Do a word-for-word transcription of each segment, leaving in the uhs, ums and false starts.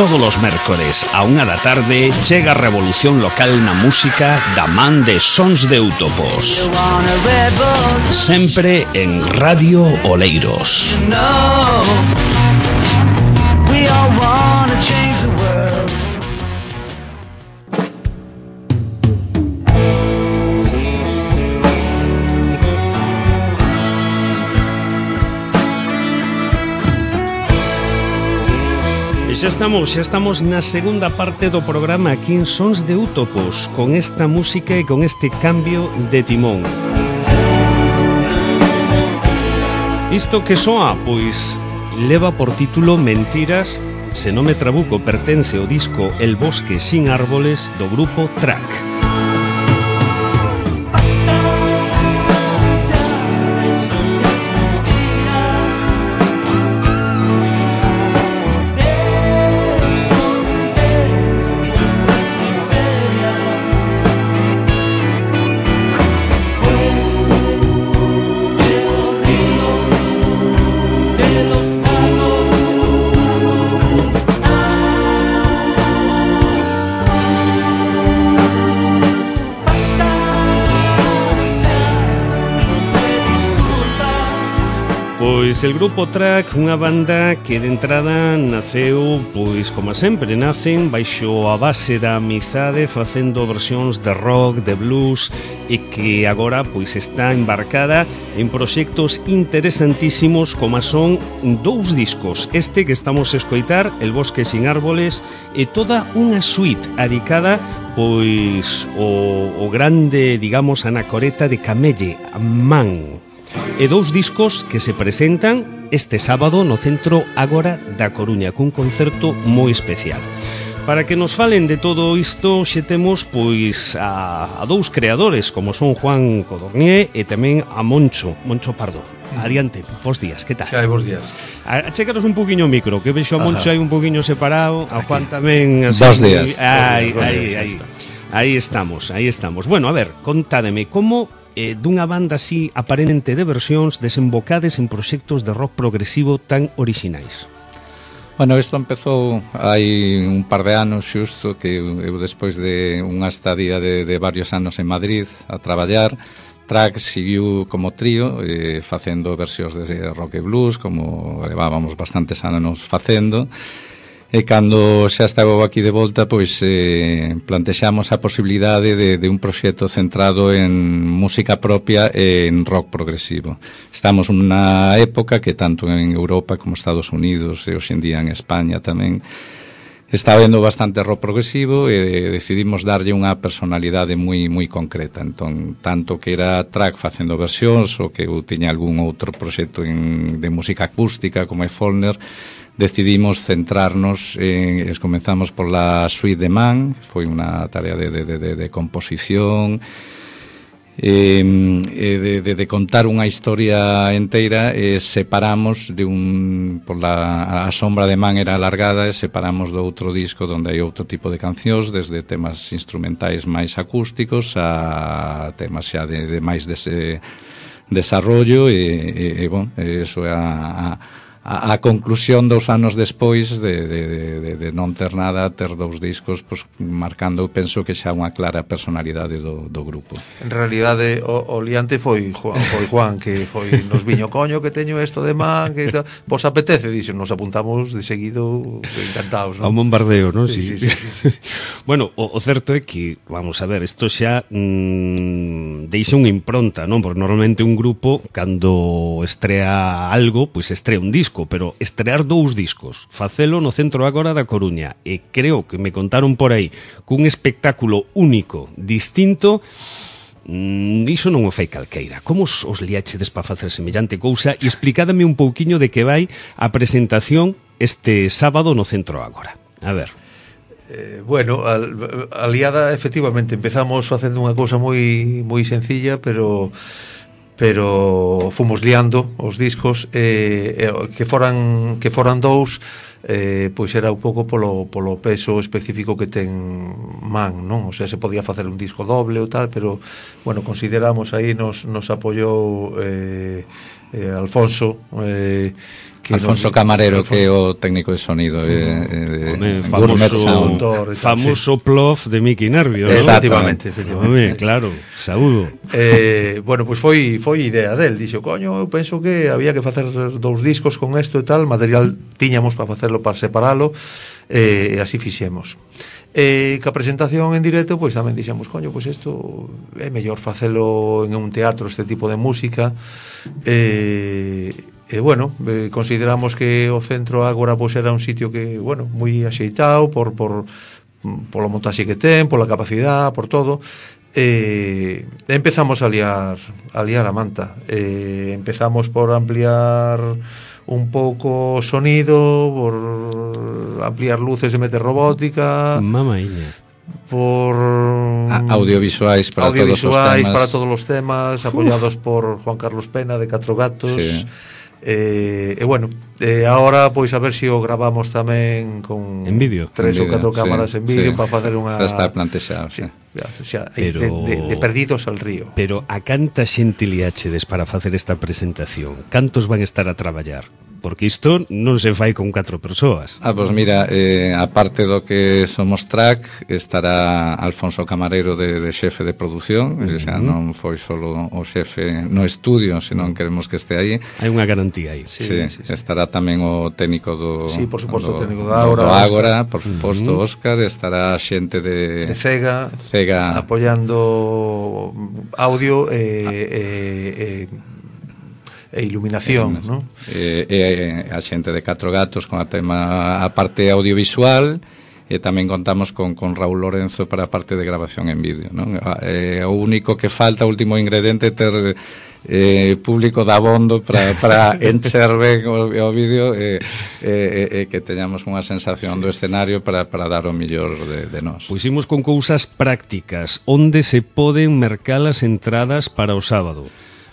Todos os mércores a unha da tarde chega a revolución local na música da man de Sons de Útopos. Sempre en Radio Oleiros. Xa estamos, xa estamos na segunda parte do programa aquí en Sons de Útopos, con esta música e con este cambio de timón. Isto que soa, pois, leva por título Mentiras, se non me trabuco, pertence ao disco El bosque sin árboles do grupo Track. Pois el grupo Track, unha banda que de entrada naceu, pois como sempre, nacen baixo a base da amizade, facendo versións de rock, de blues, e que agora pois está embarcada en proxectos interesantísimos como son dous discos, este que estamos a escoitar, El bosque sin árboles, e toda unha suite adicada pois o, o grande, digamos, anacoreta de Camelle, Man. E dous discos que se presentan este sábado no Centro Ágora da Coruña, cun concerto moi especial. Para que nos falen de todo isto, xe temos pois a, a dous creadores, como son Juan Codornier e tamén a Moncho, Moncho Pardo. Adiante, bons días, que tal? Xa hai bons días. Achécaros un poquinho o micro, que vexo a Moncho aí un poquinho separado, a Juan tamén así. Bons días. Aí, aí, aí. Aí estamos, aí estamos. Bueno, a ver, contádeme, como eh, dunha banda así aparente de versións desembocades en proxectos de rock progresivo tan orixinais? Bueno, isto empezou hai un par de anos xusto, que eu despois de unha estadía de, de varios anos en Madrid a traballar, Track seguiu como trío eh, facendo versións de rock e blues, como levábamos bastantes anos facendo. E cando xa estaba aquí de volta, pois eh, plantexamos a posibilidade de, de un proxecto centrado en música propia e en rock progresivo. Estamos nunha época que tanto en Europa como Estados Unidos e hoxe en día en España tamén está habendo bastante rock progresivo e decidimos darlle unha personalidade moi moi concreta. Entón, tanto que era Track facendo versións ou que eu tiña algún outro proxecto en, de música acústica como é Follner, decidimos centrarnos en, es comenzamos por la suite de Man, foi unha tarea de, de, de, de composición, eh, de, de, de contar unha historia enteira, e separamos de un, por la a sombra de Man era alargada, e separamos do outro disco onde hai outro tipo de cancións, desde temas instrumentais máis acústicos a temas xa de, de máis dese desarrollo, e, e, e bon, eso é a, a A, a conclusión dos anos despois de, de, de, de non ter nada, ter dous discos, pues, marcando, penso que xa unha clara personalidade do, do grupo. En realidade, o, o liante foi Juan, foi Juan que foi nos viño, coño, que teño isto de Man, que tal. Vos apetece, dixo, nos apuntamos de seguido, encantados, A non? un bombardeo, non? Sí, sí, sí, sí, sí. Bueno, o, o certo é que, vamos a ver, isto xa mmm, deixa unha impronta, non? Porque normalmente un grupo, cando estrea algo, pois pues estrea un disco, pero estrear dous discos, facelo no Centro Ágora da Coruña, e creo que me contaron por aí cun espectáculo único, distinto, mmm, iso non o fai calqueira. Como os, os liachedes para facer semellante cousa? E explicádame un pouquiño de que vai a presentación este sábado no Centro Ágora. A ver. Eh, bueno, al, a liada, efectivamente, empezamos facendo unha cousa moi moi sencilla, pero pero fomos liando os discos, eh, eh, que foran que foran dous, eh, pois era un pouco polo, polo peso específico que ten Man, non? O sea, se podía facer un disco doble ou tal, pero, bueno, consideramos aí, nos, nos apoiou eh, eh, Alfonso, eh, Alfonso nos, Camarero, Alfonso, que é o técnico de sonido eh, eh, famoso, famoso sí. Plof de Mickey Nervio, ¿no? Efectivamente, efectivamente. Home, claro, saúdo. Eh, bueno, pois pues foi foi idea del, dixo, coño, eu penso que había que facer dous discos con isto e tal, material tiñamos para facerlo, para separalo, e eh, así fixemos. E que a presentación en directo, pois tamén dixemos, coño, pois isto é mellor facelo en un teatro, este tipo de música. E, e bueno, eh, consideramos que o Centro Ágora pois era un sitio que, bueno, moi axeitado por por polo montaxe que ten, pola capacidade, por todo. E empezamos a liar a liar a manta. E empezamos por ampliar un pouco o sonido, por ampliar luces e meter robótica. Mamaiña. Por A audiovisuais para audiovisuais todos os temas. para todos os temas, apoyados Uf. por Juan Carlos Pena de Catro Gatos. Sí. E, e bueno, e agora pois a ver se o gravamos tamén con en vídeo, tres en ou catro sí, cámaras en vídeo, sí. para facer unha... Xa está plantexado, sí. O sea, pero... de, de, de perdidos al río. Pero a canta xente liáchedes para facer esta presentación? Cantos van estar a traballar? Porque isto non se fai con catro persoas. Ah, pois mira, eh, aparte do que somos track, estará Alfonso Camarero de, de xefe de produción, uh -huh. o sea, non foi solo o xefe no estudio, senón queremos que este aí. Hai unha garantía aí. Sí, sí, sí, sí. Estará tamén o técnico do... Sí, por suposto, do, o técnico da Ágora. Do Ágora, por suposto, uh -huh. Óscar, estará xente de... De Cega, Cega, apoyando audio e... Eh, eh, e iluminación, eh, ¿no? Eh, eh, a xente de Catro Gatos con a tema a parte audiovisual, e tamén contamos con, con Raúl Lorenzo para a parte de grabación en vídeo, ¿no? Eh, o único que falta, o último ingrediente, ter eh, público de abondo para, para encher ben o, o vídeo e eh, eh, eh, que teñamos unha sensación sí, do escenario para, para dar o millor de, de nós. Pois imos con cousas prácticas. Onde se poden mercar as entradas para o sábado?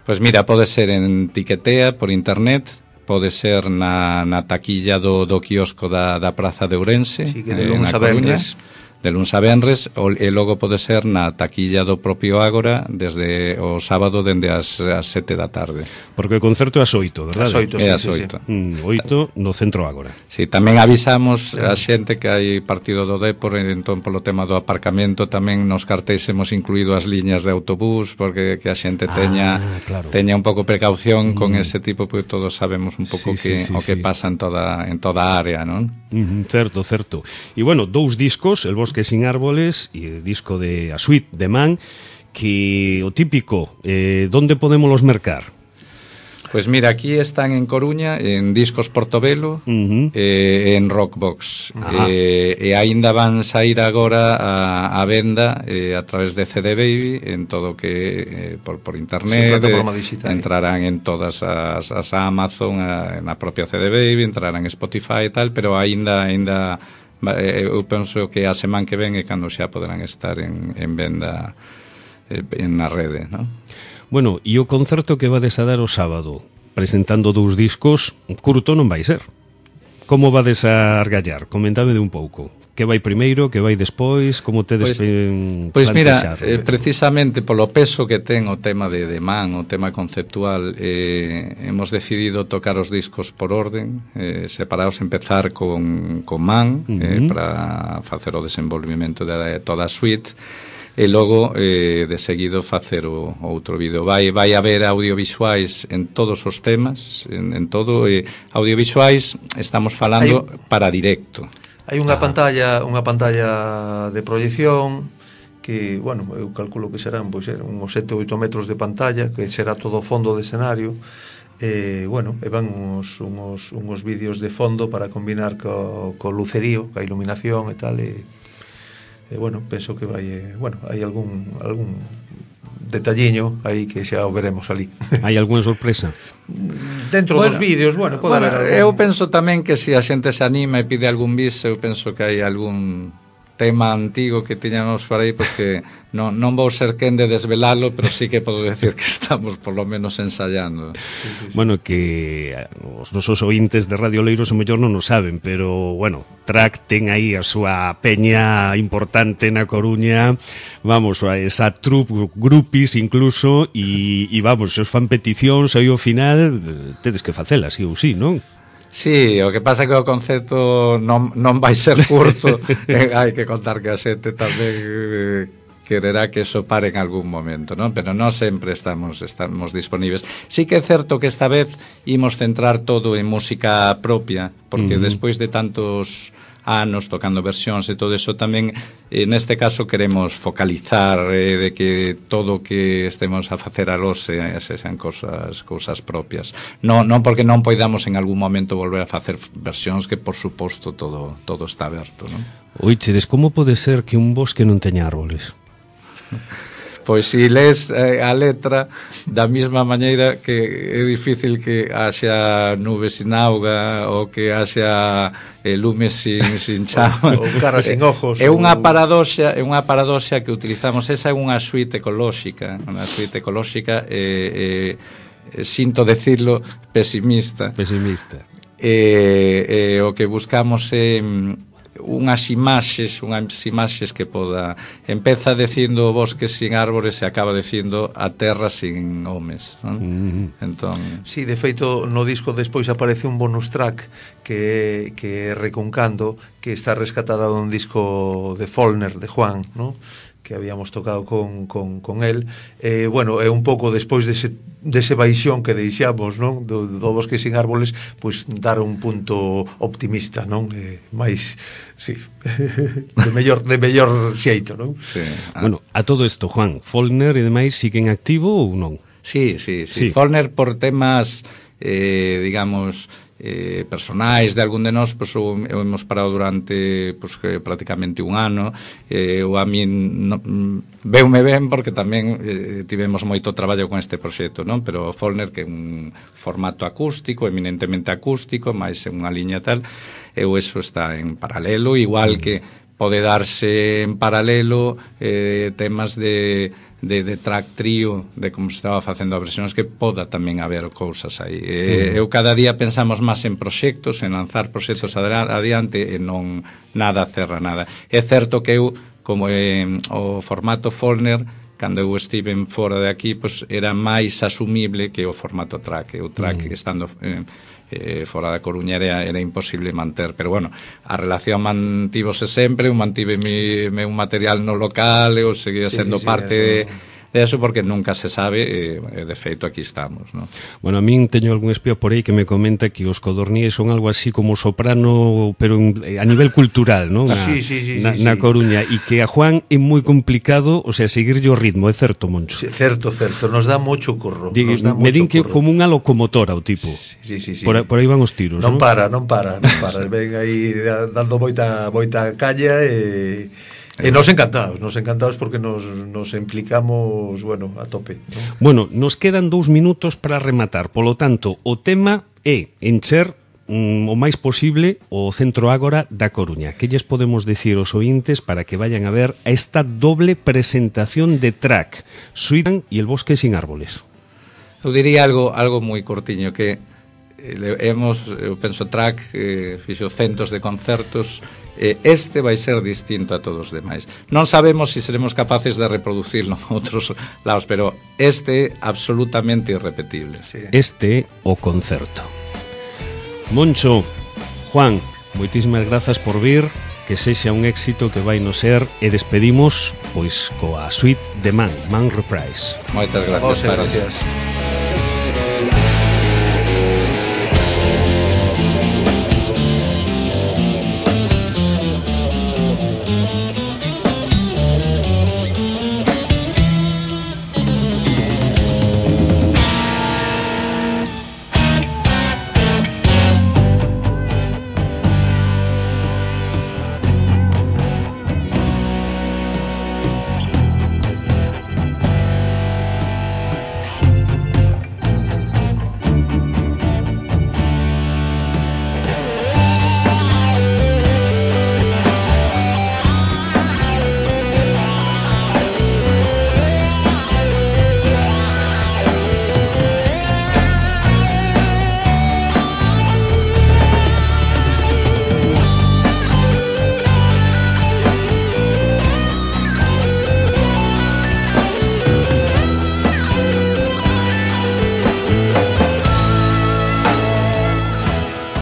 Pois mira, pode ser en Tiquetea, por internet, pode ser na, na taquilla do, do quiosco da, da Praza de Ourense, sí, que de luns a venres, de luns a venres, e logo pode ser na taquilla do propio Ágora desde o sábado dende as, as sete da tarde. Porque o concerto é as oito, verdade? As oito, sí, é as sí, oito. Sí. Mm, oito no Centro Ágora. Sí, tamén avisamos sí. a xente que hai partido do Dépor, entón polo tema do aparcamento tamén nos cartéis hemos incluído as liñas de autobús, porque que a xente teña ah, claro. teña un pouco precaución mm. con ese tipo, porque todos sabemos un pouco sí, que sí, sí, o que sí. pasa en toda en toda a área, non? Mm, certo, certo. E bueno, dous discos, El Bosque sin árboles e o disco de A Suite de Man, que o típico, eh, donde podemos los mercar? Pois mira, aquí están en Coruña, en Discos Portobelo, uh -huh. e en Rockbox. E, e aínda van sair agora a, a venda eh, a través de C D Baby, en todo que eh, por, por internet, sí, eh, entrarán en todas as, as Amazon, a, na propia C D Baby, entrarán en Spotify e tal, pero aínda aínda eu penso que a semana que ven é cando xa poderán estar en, en venda eh, en na rede, non? Bueno, e o concerto que vades a dar o sábado, presentando dous discos, curto non vai ser. Como vades a argallar? Comentade un pouco. Que vai primeiro, que vai despois, como tedes pois, pois mira, eh, precisamente polo peso que ten o tema de, de Man, o tema conceptual, eh, hemos decidido tocar os discos por orden, eh, separados, empezar con, con Man, uh -huh. eh, para facer o desenvolvimento de toda a suite, e logo eh, de seguido facer o, o outro vídeo. Vai vai haber audiovisuais en todos os temas, en, en todo, eh, audiovisuais estamos falando hai, para directo. Hai unha ah. pantalla, unha pantalla de proyección que, bueno, eu calculo que serán pois uns sete ou oito metros de pantalla, que será todo fondo de escenario. Eh, bueno, e van uns, uns, uns vídeos de fondo para combinar co, co lucerío, ca iluminación e tal, e E, bueno, penso que vai, eh, bueno, hai algún algún detalliño aí que xa o veremos ali. Hai algunha sorpresa? Dentro bueno, dos vídeos, bueno, pode bueno, haber algún... Eu penso tamén que se a xente se anima e pide algún bis, eu penso que hai algún tema antigo que tiñamos por aí, porque non, non vou ser quen de desvelalo, pero sí que podo decir que estamos por lo menos ensayando. Sí, sí, sí. Bueno, que os nosos ointes de Radio Leiros o mellor non o saben, pero, bueno, Track ten aí a súa peña importante na Coruña, vamos, a esa troupe, grupis incluso, e, e vamos, se os fan peticións aí ao final, tedes que facelas, sí ou sí, non? Sí, o que pasa é que o concepto non, non vai ser curto, eh, hai que contar que a xente tamén eh, quererá que eso pare en algún momento, non? Pero non sempre estamos estamos disponíveis. Sí que é certo que esta vez imos centrar todo en música propia, porque uh-huh. despois de tantos anos tocando versións e todo eso tamén, eh, neste caso queremos focalizar eh, de que todo o que estemos a facer alós eh, sexan cosas, cousas propias, non, non porque non poidamos en algún momento volver a facer versións, que por suposto todo, todo está aberto, non? Oichedes, como pode ser que un bosque non teña árboles? Pois si lees eh, a letra da mesma maneira que é difícil que haxa nubes sin auga ou que haxa eh, lumes sin, sin chama ou cara sin ojos. É unha paradoxa, é unha paradoxa que utilizamos. Esa é unha suite ecolóxica, unha suite ecolóxica eh, eh, sinto decirlo pesimista. Pesimista. Eh, eh, o que buscamos é unhas imaxes, unhas imaxes que poda, empeza dicindo o bosque sin árbores e acaba dicindo a terra sin homes, non? Mm-hmm. Entón, sí, de feito no disco despois aparece un bonus track que que é Reconcando, que está rescatada dun disco de Follner, de Juan, non? Que habíamos tocado con, con, con él. Eh, bueno, é un pouco despois dese, dese baixón que deixamos, non? Do, do bosque sin árboles, pois dar un punto optimista, non? Eh, máis, sí, de mellor, de mellor xeito, non? Sí. Ah. Bueno, a todo isto, Juan, Follner e demais siguen activo ou non? Sí, sí, sí. sí. Follner por temas, eh, digamos, eh, personais de algún de nós, pois, o, hemos parado durante pois, que, prácticamente un ano. Eh, o a min no, veume ben porque tamén eh, tivemos moito traballo con este proxecto, non? Pero Follner, que é un formato acústico, eminentemente acústico, máis en unha liña tal, e eso está en paralelo, igual que pode darse en paralelo eh, temas de de, de track trío, de como se estaba facendo a versións, que poda tamén haber cousas aí. Eh, mm. Eu cada día pensamos máis en proxectos, en lanzar proxectos adiante, e non nada cerra nada. É certo que eu, como eh, o formato Follner, cando eu estive fora de aquí, pois era máis asumible que o formato track. O track mm. estando eh, eh, fora da Coruña era, era imposible manter, pero bueno, a relación mantívose sempre, eu mantive mi, meu material no local, eu seguía sí, sendo sí, parte sí, de, de eso, porque nunca se sabe, e eh, de feito aquí estamos, ¿no? Bueno, a min teño algún espía por aí que me comenta que os codorníes son algo así como soprano, pero en, a nivel cultural, ¿no? Na, sí, sí, sí, na, sí, na sí. Coruña, e que a Juan é moi complicado, o sea, seguirlle o ritmo, é certo, Moncho? Sí, certo, certo, nos dá moito curro. Digue, nos dá me din que curro. como unha locomotora o tipo. Sí, sí, sí, sí. Por, por aí van os tiros, non? Non para, non para, non para. Ven aí dando moita, moita calla e... E nos encantados, nos encantados porque nos, nos implicamos, bueno, a tope, ¿no? Bueno, nos quedan dous minutos para rematar. Polo tanto, o tema é encher mm, o máis posible o Centro Ágora da Coruña. Que lles podemos decir aos ointes para que vayan a ver a esta doble presentación de track, Suidan e el bosque sin árboles? Eu diría algo algo moi cortiño, que eh, hemos, eu penso, track eh, fixo centos de concertos. Este vai ser distinto a todos os demais. Non sabemos se si seremos capaces de reproducirlo en outros lados, pero este é absolutamente irrepetible. Sí. Este o concerto. Moncho, Juan, moitísimas grazas por vir, que sexa un éxito que vai no ser, e despedimos pois coa suite de Man, Man Reprise. Moitas gracias. Gracias.